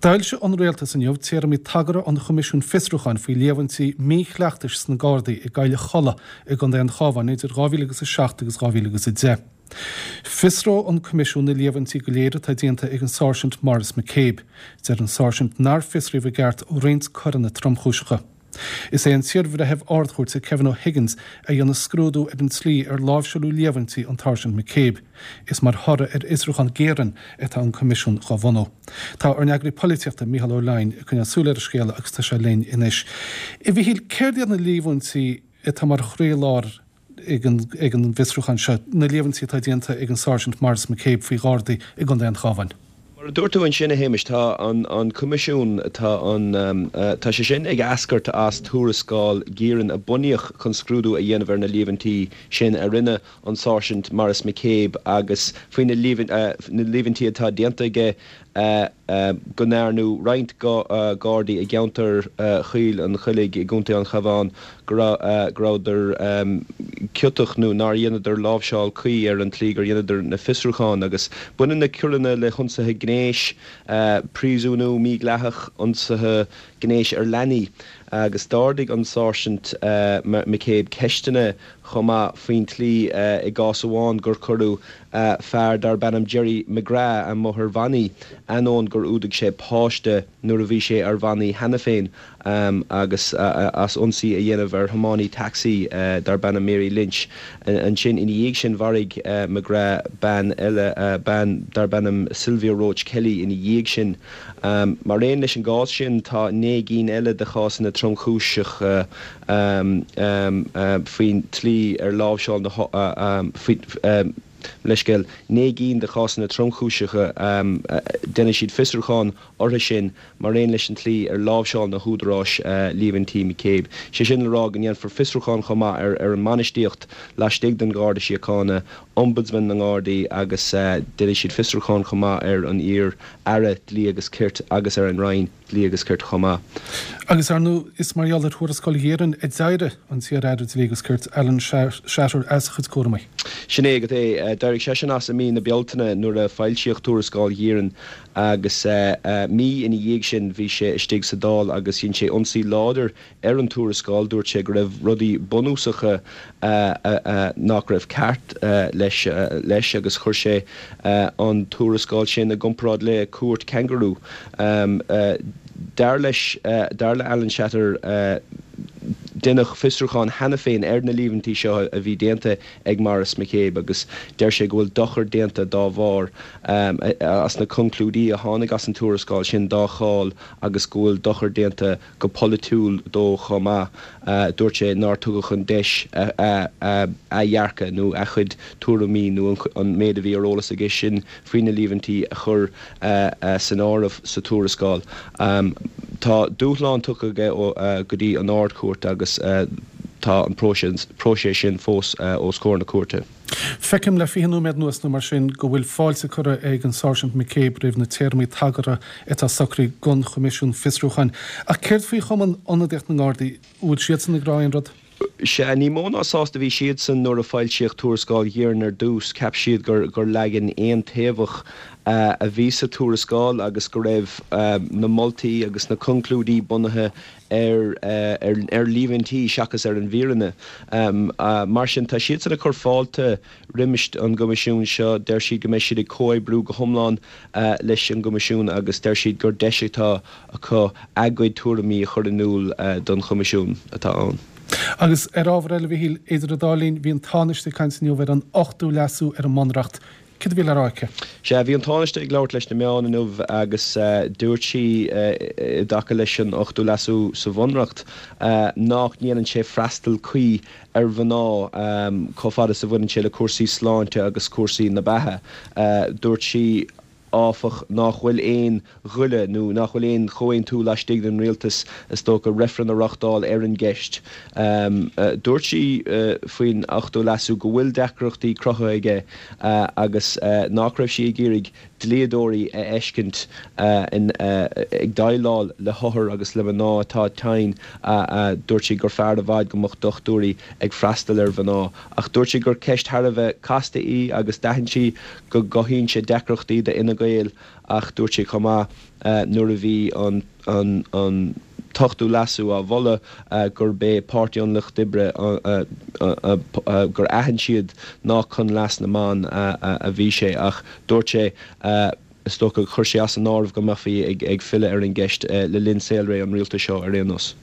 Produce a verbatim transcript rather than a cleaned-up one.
D'fhoilsigh an Rialtas inniu téarmaí tagartha an Choimisiúin Fiosrúcháin faoi líomhaintí míchleachtais sna Gardaí i gCoill Cholla i gContae an Chabháin idir dhá mhíle agus a seacht agus dhá mhíle agus a deich. Fiosróidh an Coimisiún na líomhaintí go léir atá déanta ag an Sáirsint Maurice McCabe. Deir an Sáirsint nár fiosraíodh i gceart roinnt coireanna tromchúiseacha. Is é an t-iarbhreitheamh Ard-Chúirte Kevin O'Higgins a dhéanfaidh scrúdú ar an tslí ar láimhseáladh líomhaintí an tSáirsint McCabe. Is mar thoradh ar fhiosrúchán Guerin atá an Coimisiún dhá bhunú. Tá ár n-eagraí polaitíochta Mícheál Ó Leidhin ag coinneáil súil ar an scéal agus tá sé linn anois. A Mhíchíl, céard iad na líomhaintí atá mar chroílár ag an ag an bhfiosrúchán seo, na líomhaintí atá déanta ag an Sáirsint Maurice McCabe faoi Ghardaí i gContae an Chabháin? Mar a dúirt tú ansin, a Shéamais, tá an an Coimisiún, tá an, tá sé sin ag eascairt as tuarascáil Guerin a bunaíodh chun scrúdú a dhéanamh ar na líomhaintí sin a rinne an Sáirsint Maurice McCabe agus faoi na líomhaintí atá déanta aige go ndearnadh roinnt Gardaí i gceantar Choill an Choilligh i gContae an Chabháin go rabhadar ciotach nó nár dheineadar láimhseáil cuí ar an tslí gur dheineadar na fiosrúcháin agus baineann na coireanna le hionsaithe gnéis, príosúnú mídhleathach, ionsaithe gnéis ar leanaí agus d'ardaigh an Sáirsint McCabe ceisteanna chomh maith faoin tslí i gcás amháin gur cuireadh fear darb ainm Gerry McGrath amuigh ar bhannaí ainneoin gur fhuadaigh sé páiste nuair a bhí sé ar bhannaí cheana féin agus as ionsaí a dhéanamh ar thiománaí tacsaí darb ainm Mary Lynch. Ansin ina dhiaidh sin mharaigh McGrath bean eile, bean darb ainm Sylvia Roche Kelly ina dhiaidh sin. Mar aon leis an gcás sin tá naoi gcinn eile de chásanna tromchúiseacha faoin tslí ar láimhseáil na leithscéal, naoi gcinn de chásanna tromchúiseacha, déanfaidh siad fiosrúchán orthu sin mar aon leis an tslí ar láimhseáil na húdaráis líomhaintí McCabe. Sé sin le rá go ndéanfar fiosrúchán chomh maith ar ar an mbainistíocht laistigh den Gharda Síochána, Ombudsman na nGardaí agus déanfaidh siad fiosrúchán chomh maith ar an iar-Aire Dlí agus Cirt agus ar an Roinn Dlí agus Cirt chomh maith. Agus ar ndóigh is mar gheall ar thuarascáil Ghuerin a d'éirigh an t-iar-Aire Dlí agus Cirt Alan Shatter as a chuid cúramaí. Sin é agat é. D'éirigh seisean as i mí na Bealtaine nuair a foilsíodh tuarascáil Ghuerin agus mí ina dhiaidh sin bhí sé istigh sa Dáil agus dhein sé ionsaí láidir ar an tuarascáil. Dúirt sé go raibh rudaí bunúsacha nach raibh ceart leis leis agus chuir sé an tuarascáil sin i gcomparáid le cúirt cangarú. Dar leis, dar le Alan Shatter, deineadh fiosrúchán cheana féin ar na líomhaintí seo a bhí déanta ag Maurice McCabe agus deir sé go bhfuil dochar déanta dá bharr as na conclúidí a tháinig as an tuarascáil sin dá cháil agus go bhfuil dochar déanta go polaitiúil dó chomh maith. Dúirt sé nár tugadh an deis a dhearcadh nó a chuid tuairimí nó an méid a bhí ar eolas aige sin faoi na líomhaintí a chur san áireamh sa tuarascáil. Tá dúshlán tugtha aige go dtí an Ard-Chúirt agus tá an próiseas sin fós os comhair na cúirte. Feicim le fiche nóiméad anuas nó mar sin go bhfuil fáilte curtha ag an Sáirsint McCabe roimh na téarmaí tagartha atá socraithe don Choimisiún Fiosrúcháin. Ach céard faoi Chumann Ionadaíocht na nGardaí, an bhfuil siadsan ag rá aon rud? Sea, ní mó ná sásta a bhí siadsan nuair a foilsíodh tuarascáil Ghuerin ar dtús. Cheap siad gur gur leagan aontaobhach a bhí sa tuarascáil agus go raibh na moltaí agus na conclúidí bunaithe ar ar líomhaintí seachas ar an bhfírinne. Mar sin, tá siadsan ag cur fáilte roimis an gCoimisiún seo. Deir siad go mbeidh siad ag comhoibriú go hiomlán leis an gCoimisiún agus deir siad gur deis atá acu a gcuid tuairimí a chur in iúl don Choimisiún atá ann. Agus ar ábhar eile, a Mhíchíl, idir an dá linn, bhí an Tánaiste ag caint inniu ar an ochtú leasú ar an mBunreacht. Céard a bhí le rá aici? Sea, bhí an Tánaiste ag labhairt leis na meáin inniu agus dúirt sí i dtaca leis an ochtú leasú sa Bhunreacht nach ndéanann sé freastal cuí ar mhná chomh fada is a bhaineann sé le cúrsaí sláinte agus cúrsaí na beatha. Dúirt sí. áfach, nach bhfuil aon ghoile nó nach bhfuil aon chomhaontú laistigh den rialtas, is dócha, reifreann a reáchtáil ar an gceist. Dúirt sí faoin ochtú leasú go bhfuil deacrachtaí cruthaithe aige agus nach raibh sí ag iarraidh dlíodóirí a fheiscint ag déileáil le hothair agus le mná atá tinn. Dúirt sí gur fearr i bhfad go mbeadh dochtúirí ag freastal ar mhná. Ach dúirt sí gur ceist thar a bheith casta í agus d'aithin sí go gcothaíonn sé deacrachtaí d'Fhine Gael ach dúirt sí chomh maith nuair a bhí an an t-ochtú leasú á mholadh gurb é Páirtí an Lucht Oibre gur aithin siad nach chun leas na mban a bhí sé ach dúirt sé is dócha chuir sé as an áireamh go mbeifí ag filleadh ar an gceist le linn saolré an rialtais seo ar aon nós.